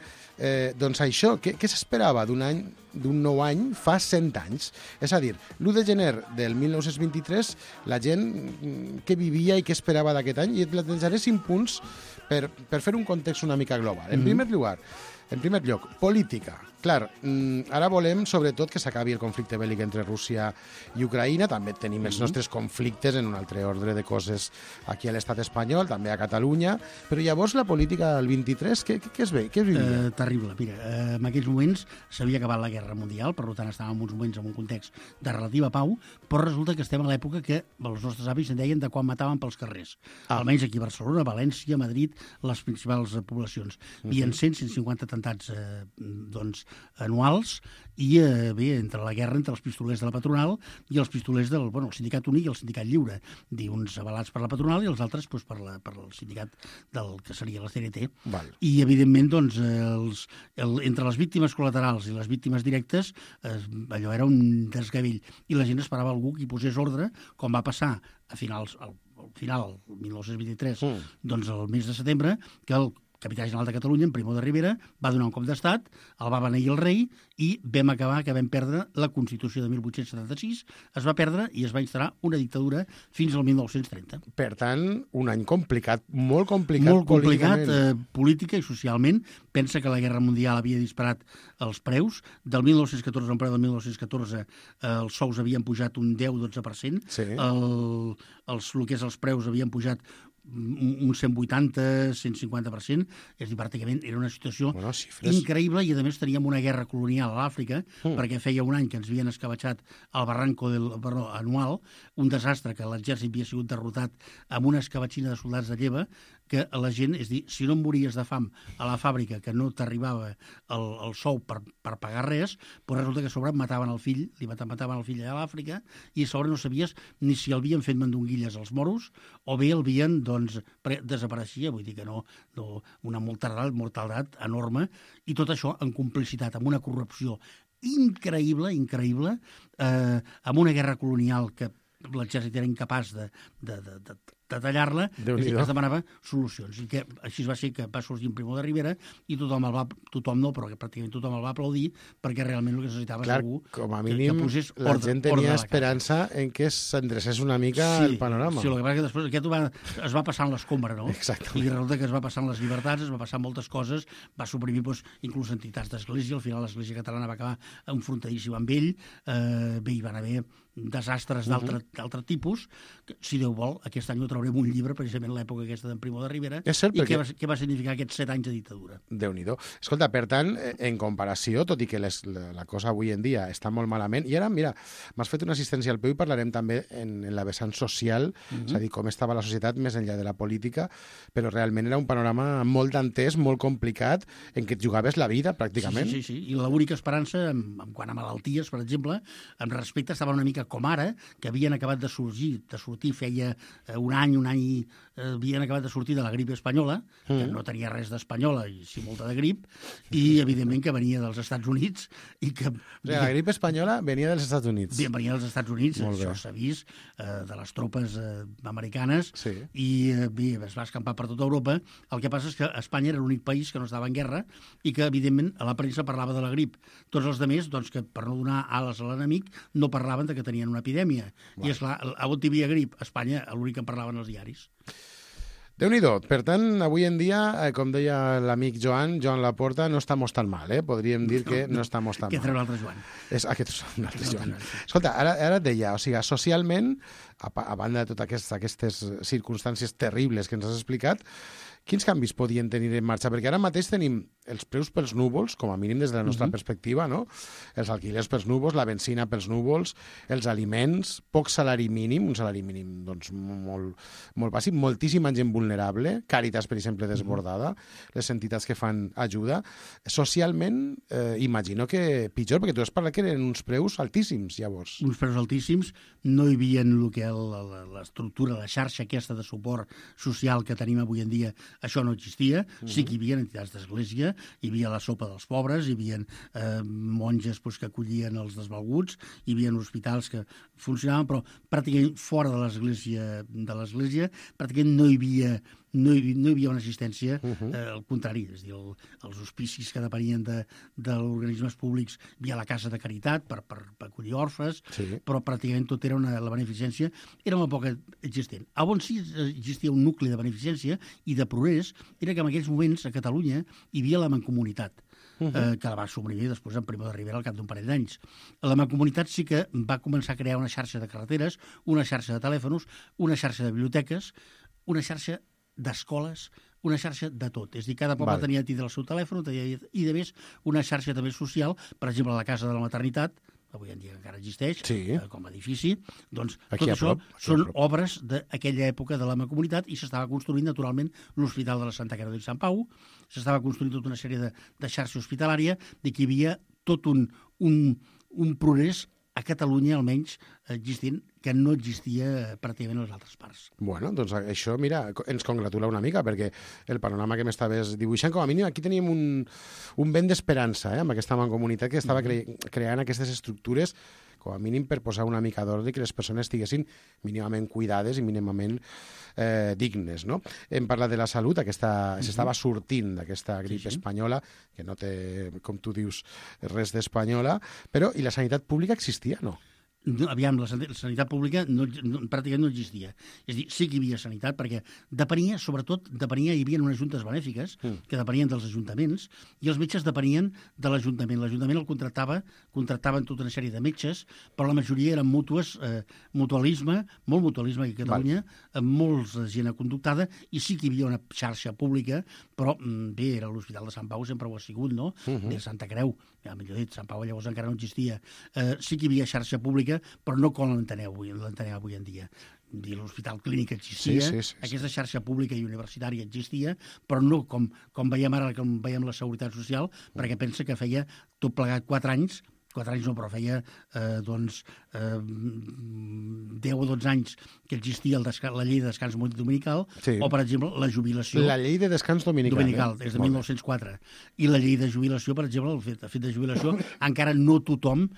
doncs això, què s'esperava d'un any d'un nou any fa 100 anys. És a dir, l'1 de gener del 1923, la gent què vivia i què esperava d'aquest any, i et plantejaré 5 punts per fer un context una mica global. En primer lloc, política. Clar, ara volem, sobretot, que s'acabi el conflicte bèl·lic entre Rússia i Ucraïna. També tenim els nostres conflictes en un altre ordre de coses aquí a l'estat espanyol, també a Catalunya. Però llavors la política del 23, què es ve? Què es vivia? Terrible. Mira, en aquells moments s'havia acabat la Guerra Mundial, per tant estàvem en uns moments en un context de relativa pau, però resulta que estem a l'època que els nostres avis en deien de quan mataven pels carrers. Almenys aquí a Barcelona, València, Madrid, les principals poblacions. Hi havia 100-150 atemptats anuals i bé, entre la guerra entre els pistolers de la patronal i els pistolers del Sindicat Únic i el Sindicat Lliure, uns avalats per la patronal i els altres per el sindicat del que seria la CNT. I evidentment entre les víctimes col·laterals i les víctimes directes allò era un desgavell i la gent esperava algú que hi posés ordre, com va passar a final, el 1923, doncs el mes de setembre, que el capità general de Catalunya, en Primo de Rivera, va donar un cop d'estat, el va beneir el rei i vam acabar que vam perdre la Constitució de 1876, es va perdre i es va instal·lar una dictadura fins al 1930. Per tant, un any complicat, molt complicat. Molt complicat, política i socialment. Pensa que la Guerra Mundial havia disparat els preus. Del 1914, el preu del 1914, els sous havien pujat un 10-12%. Sí. El que és els preus havien pujat un 180-150%, és a dir, pràcticament era una situació increïble i a més teníem una guerra colonial a l'Àfrica perquè feia un any que ens havien escabatxat el Barranco anual, un desastre que l'exèrcit havia sigut derrotat amb una escabatxina de soldats de lleva que la gent, és a dir, si no mories de fam a la fàbrica que no t'arribava el sou per pagar res, però resulta que a sobre mataven el fill, li mataven el fill allà a l'Àfrica i a sobre no sabies ni si el havien fet mandonguilles als moros o bé el havien, desapareixia, vull dir que no una mortaldat enorme, i tot això en complicitat, amb una corrupció increïble, amb una guerra colonial que l'exèrcit era incapaç de tallar-la, es demanava solucions. I que així va ser que va sorgir Primo de Rivera i tothom no, però que pràcticament tothom el va aplaudir perquè realment el que necessitava és algú com a mínim, que posés la gent tenia esperança en que s'endrecés una mica el panorama. Sí, el que passa que després aquest es va passant l'escombra, no? Exactament. I resulta que es va passant les llibertats, es va passar moltes coses, va suprimir inclús entitats d'església, al final l'església catalana va acabar enfrontadíssima amb ell, bé, hi van haver desastres d'altre tipus, que, si Déu vol, aquest any ho traurem un llibre, precisament l'època aquesta d'en Primo de Rivera, i què va significar aquests 7 anys de dictadura. Déu-n'hi-do. Escolta, per tant, en comparació, tot i que la cosa avui en dia està molt malament, i ara, mira, m'has fet una assistència al peu i parlarem també en la vessant social, és a dir, com estava la societat més enllà de la política, però realment era un panorama molt dantès, molt complicat, en què et jugaves la vida, pràcticament. Sí. I l'única esperança, en quant a malalties, per exemple, en respecte estava una mica com ara, que havien acabat de sortir feia un any havien acabat de sortir de la grip espanyola, que no tenia res d'espanyola i sí molta de grip, i evidentment que venia dels Estats Units i que... La grip espanyola venia dels Estats Units. Venia dels Estats Units, això s'ha vist, de les tropes americanes, i bé, es va escampar per tota Europa. El que passa és que Espanya era l'únic país que no estava en guerra i que, evidentment, a la premsa parlava de la grip. Tots els altres, doncs, que per no donar ales a l'enemic, no parlaven de que tenien una epidèmia. I, esclar, a on hi havia grip? A Espanya, l'únic que en parlaven els diaris. Déu-n'hi-do. Per tant, avui en dia, com deia l'amic Joan Laporta, no estamos tan mal, Podríem dir que no estamos tan mal. Aquest era un altre Joan. Aquest és un altre Joan. Escolta, ara et deia, o sigui, socialment, a banda de totes aquestes circumstàncies terribles que ens has explicat, quins canvis podien tenir en marxa? Perquè ara mateix tenim els preus pels núvols, com a mínim des de la nostra perspectiva, no? Els alquilers pels núvols, la benzina pels núvols, els aliments, poc salari mínim, un salari mínim doncs, molt bàsic, moltíssima gent vulnerable, Càritas, per exemple, desbordada, les entitats que fan ajuda. Socialment, imagino que pitjor, perquè tu has parlat que eren uns preus altíssims, llavors. Uns preus altíssims, no hi havia el que l'estructura, la xarxa aquesta de suport social que tenim avui en dia. Això no existia, sí que hi havia entitats d'església, hi havia la sopa dels pobres, hi havia monges que acollien els desvalguts, hi havia hospitals que funcionaven, però pràcticament fora de l'església, pràcticament no hi no hi havia una assistència al contrari, és a dir, els hospicis que depenien d'organismes públics, hi havia la casa de caritat per acollir orfes, però pràcticament tot era la beneficència, era molt poc existent. On sí existia un nucli de beneficència i de progrés era que en aquells moments a Catalunya hi havia la Mancomunitat, que la va suprimir després en Primo de Rivera al cap d'un parell d'anys. La Mancomunitat sí que va començar a crear una xarxa de carreteres, una xarxa de telèfons, una xarxa de biblioteques, una xarxa d'escoles, una xarxa de tot. És a dir, cada poble tenia a tindre el seu telèfon i, de més, una xarxa també social, per exemple, la Casa de la Maternitat, avui en dia encara existeix, com a edifici, doncs tot això són obres d'aquella època de la Mancomunitat i s'estava construint naturalment l'Hospital de la Santa Creu de Sant Pau, s'estava construint tota una sèrie de xarxa hospitalària, de que hi havia tot un progrés a Catalunya, almenys, existint, que no existia pràcticament a les altres parts. Bueno, doncs això, mira, ens congratula una mica, perquè el panorama que m'estaves dibuixant, com a mínim, aquí teníem un vent d'esperança, amb aquesta mancomunitat que estava creant aquestes estructures, com a mínim per posar una mica d'ordre i que les persones estiguessin mínimament cuidades i mínimament dignes, no? Hem parlat de la salut, s'estava sortint d'aquesta grip espanyola, que no té, com tu dius, res d'espanyola, però i la sanitat pública existia, no? Aviam, la sanitat pública pràcticament no existia. És a dir, sí que hi havia sanitat, perquè depenia, sobretot, hi havia unes juntes benèfiques que depenien dels ajuntaments, i els metges depenien de l'Ajuntament. L'Ajuntament el contractaven tota una sèrie de metges, però la majoria eren mútues, mutualisme, molt mutualisme aquí a Catalunya, amb molts gent conductada, i sí que hi havia una xarxa pública, però bé, era l'Hospital de Sant Pau, sempre ho ha sigut, no? De Santa Creu, millor dit, Sant Pau llavors encara no existia. Sí que hi havia xarxa pública, però no com l'enteneu avui en dia. L'Hospital Clínic existia, aquesta xarxa pública i universitària existia, però no com veiem ara, com veiem la Seguretat Social, perquè pensa que feia tot plegat 4 anys no, però feia 10 o 12 anys que existia la llei de descans dominical, o, per exemple, la jubilació... La llei de descans dominical. Des de 1904. I la llei de jubilació, per exemple, el fet de jubilació, encara no tothom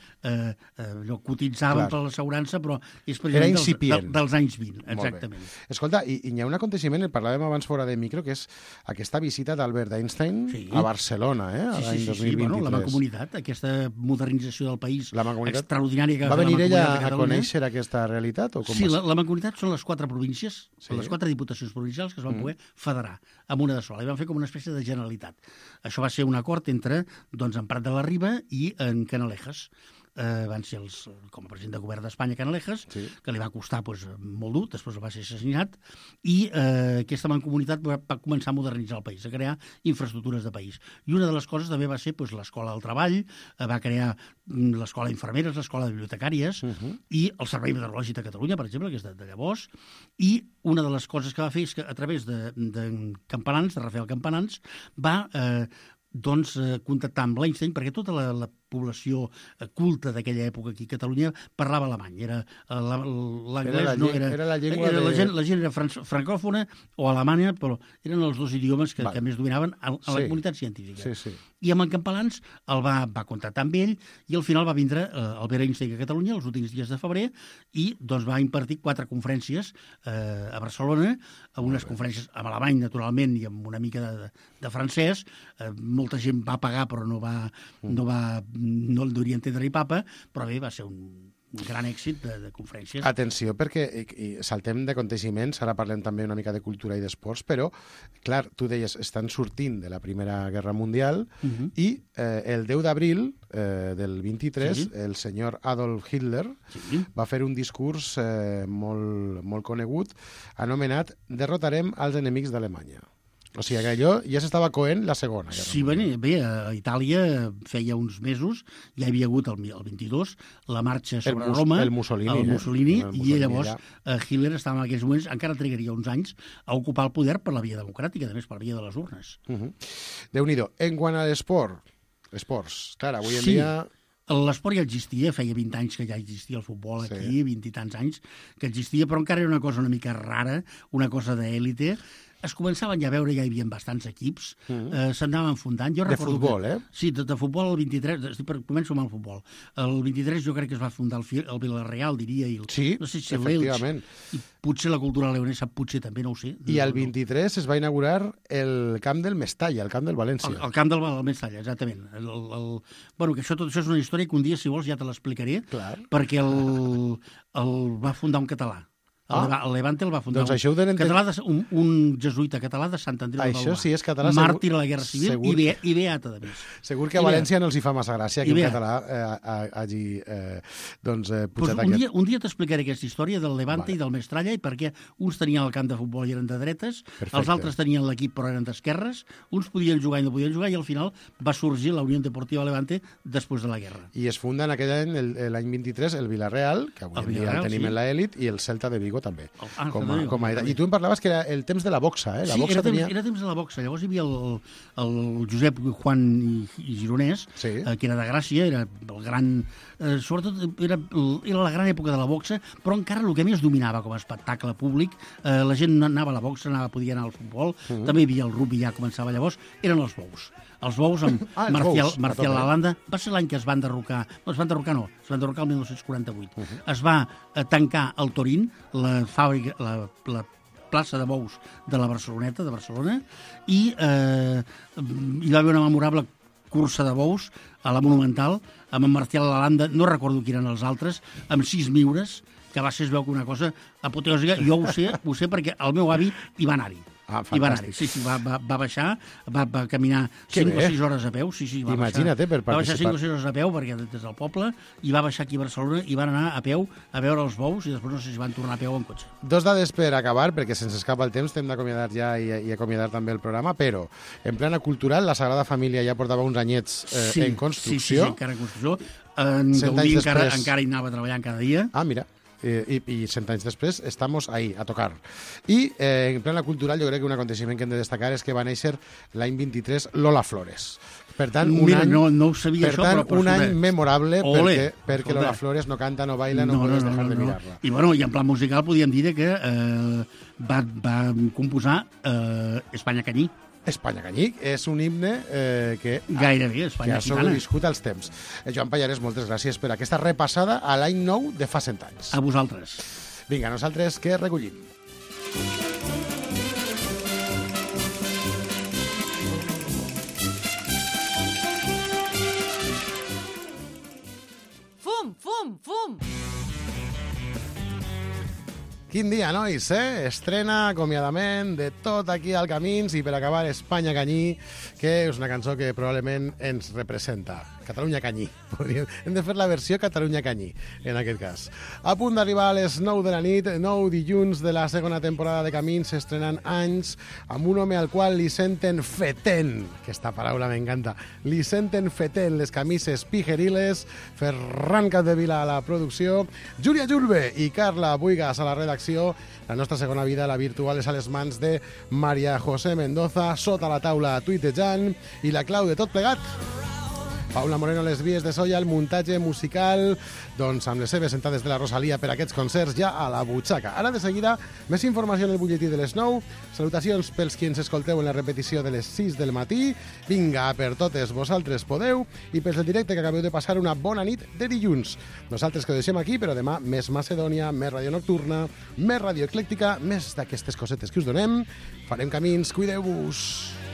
cotitzava per l'assegurança, però és precisament dels anys 20, exactament. Escolta, i hi ha un aconteixement, el parlàvem abans fora de micro, que és aquesta visita d'Albert Einstein a Barcelona, l'any 2023. La Mancomunitat, aquesta modernització del país extraordinària que va venir ella a conèixer aquesta realitat? Sí, la Mancomunitat són les 4 províncies, les 4 diputacions provincials que es van poder federar amb una de sola, i van fer com una espècie de Generalitat. Això va ser un acord entre en Prat de la Riba i en Canalejas. Van ser com a president de govern d'Espanya Canalejas, que li va costar molt dur, després va ser assassinat, i aquesta mancomunitat va començar a modernitzar el país, a crear infraestructures de país. I una de les coses també va ser l'escola del treball, va crear l'escola d'infermeres, l'escola de bibliotecàries, i el Servei Meteorològic de Catalunya, per exemple, que és de llavors, i una de les coses que va fer és que a través de Campanans, de Rafael Campanans, va contactar amb l'Einstein, perquè tota la població culta d'aquella època aquí a Catalunya parlava alemany. L'anglès no era... La gent era francòfona o alemanya, però eren els dos idiomes que més dominaven a la comunitat científica. I amb en Campalans el va contactar amb ell i al final va vindre Albert Einstein a Catalunya els últims dies de febrer i va impartir 4 conferències a Barcelona, unes conferències en alemany, naturalment, i amb una mica de francès. Molta gent va pagar, però no el hauria entendre ni papa, però bé, va ser un gran èxit de conferències. Atenció, perquè saltem d'aconteixements, ara parlem també una mica de cultura i d'esports, però, clar, tu deies, estan sortint de la Primera Guerra Mundial i el 10 d'abril del 23, el senyor Adolf Hitler va fer un discurs molt conegut anomenat «Derrotarem als enemics d'Alemanya». O sigui que allò ja s'estava coent la Segona Guerra. Sí, bé, a Itàlia feia uns mesos, ja hi havia hagut el 22, la marxa sobre Roma, el Mussolini, i llavors Hitler estava en aquells moments, encara trigaria uns anys, a ocupar el poder per la via democràtica, a més per la via de les urnes. Déu-n'hi-do. En quant a esports, clar, avui en dia... L'esport ja existia, feia 20 anys que ja existia el futbol aquí, 20 i tants anys que existia, però encara era una cosa una mica rara, una cosa d'èlite. es començaven ja a veure, ja hi havia bastants equips, s'anaven fundant. De futbol, Sí, de futbol el 23, començo amb el futbol. El 23 jo crec que es va fundar el Villarreal, diria, sí, no sé si efectivament. I potser la cultura leonesa, potser també, no ho sé. I el 23 es va inaugurar el camp del Mestalla, el camp del València. El camp del Mestalla, exactament. Bueno, que tot això és una història que un dia, si vols, ja te l'explicaré, perquè el va fundar un català. El Levante el va fundar un jesuïta català de Sant Andreu de Això sí és català. Màrtir a la Guerra Civil i beata, de més. Segur que a València no els hi fa massa gràcia que un català hagi pujat aquest. Un dia t'explicaré aquesta història del Levante i del Mestalla i perquè uns tenien el camp de futbol i eren de dretes, els altres tenien l'equip però eren d'esquerres, uns podien jugar i no podien jugar i al final va sorgir la Unió Deportiva Levante després de la guerra. I es funda en aquell any, l'any 23, el Villarreal, que avui en dia el tenim en l'elit, i el Celta de Vigo també. I tu em parlaves que era el temps de la boxa, eh? Era temps de la boxa. Llavors hi havia el Josep Juan i Gironès, que era de Gràcia, era el gran... Sobretot era la gran època de la boxa, però encara el que més dominava com a espectacle públic, la gent anava a la boxa, podia anar al futbol, també hi havia el rugby, ja començava llavors, eren els bous. Els bous amb Marcial Lalanda. Va ser l'any que es van derrocar... No, es van derrocar el 1948. Es va tancar el Torín, la fàbrica, la plaça de bous de la Barceloneta, de Barcelona, i hi va haver una memorable cursa de bous a la Monumental, amb en Marcial Lalanda, no recordo qui eren els altres, amb 6 miures, que va ser, es veu que una cosa apoteòsica. Jo ho sé perquè el meu avi hi va anar-hi. I va anar-hi, va baixar, va caminar 5 o 6 hores a peu, Imagina't, per participar. Va baixar 5 o 6 hores a peu, perquè des del poble, i va baixar aquí a Barcelona, i van anar a peu a veure els bous, i després no sé si van tornar a peu en cotxe. 2 dades per acabar, perquè se'ns escapa el temps, hem d'acomiadar ja i acomiadar també el programa, però en plana cultural, la Sagrada Família ja portava uns anyets en construcció. Sí, encara en construcció. En Gaudí encara hi anava treballant cada dia. Ah, mira. I 100 anys després estamos ahí, a tocar. I en plana cultural jo crec que un aconteixement que hem de destacar és que va néixer l'any 23 Lola Flores. Per tant, no ho sabia això, però un any memorable perquè Lola Flores no canta, no baila, no podes dejar de mirar-la. I en plan musical podíem dir que va composar Espanya Canyí. Espanya Canyí és un himne que gairebé Espanya ha sobreviscut als temps. Joan Pallarès, moltes gràcies per aquesta repassada a l'any nou de fa 100 anys. A vosaltres. Vinga, nosaltres que recollim. Fum, fum, fum! Quin dia, nois, Estrena, acomiadament de tot aquí al Camins i per acabar Espanya Canyí, que és una cançó que probablement ens representa. Catalunya Canyí. Hem de fer la versió Catalunya Canyí, en aquest cas. A punt d'arribar a les 9 de la nit, 9 dilluns de la segona temporada de Camins, s'estrenen anys amb un home al qual li senten feten. Aquesta paraula m'encanta. Li senten feten les camises pijeriles. Ferran Capdevila a la producció, Júlia Julve i Carla Buigas a la redacció. La nostra segona vida, la virtual, és a les mans de Maria José Mendoza, sota la taula tuitejant, i la clau de tot plegat, Paula Moreno, les vies de Soia, el muntatge musical, doncs amb les seves sentades de la Rosalia per aquests concerts ja a la butxaca. Ara de seguida, més informació en el butlletí de les 9, salutacions pels qui ens escolteu en la repetició de les 6 del matí, vinga, per totes vosaltres podeu, i pels del directe que acabeu de passar una bona nit de dilluns. Nosaltres que ho deixem aquí, però demà més Macedònia, més ràdio nocturna, més ràdio eclèctica, més d'aquestes cosetes que us donem. Farem camins, cuideu-vos.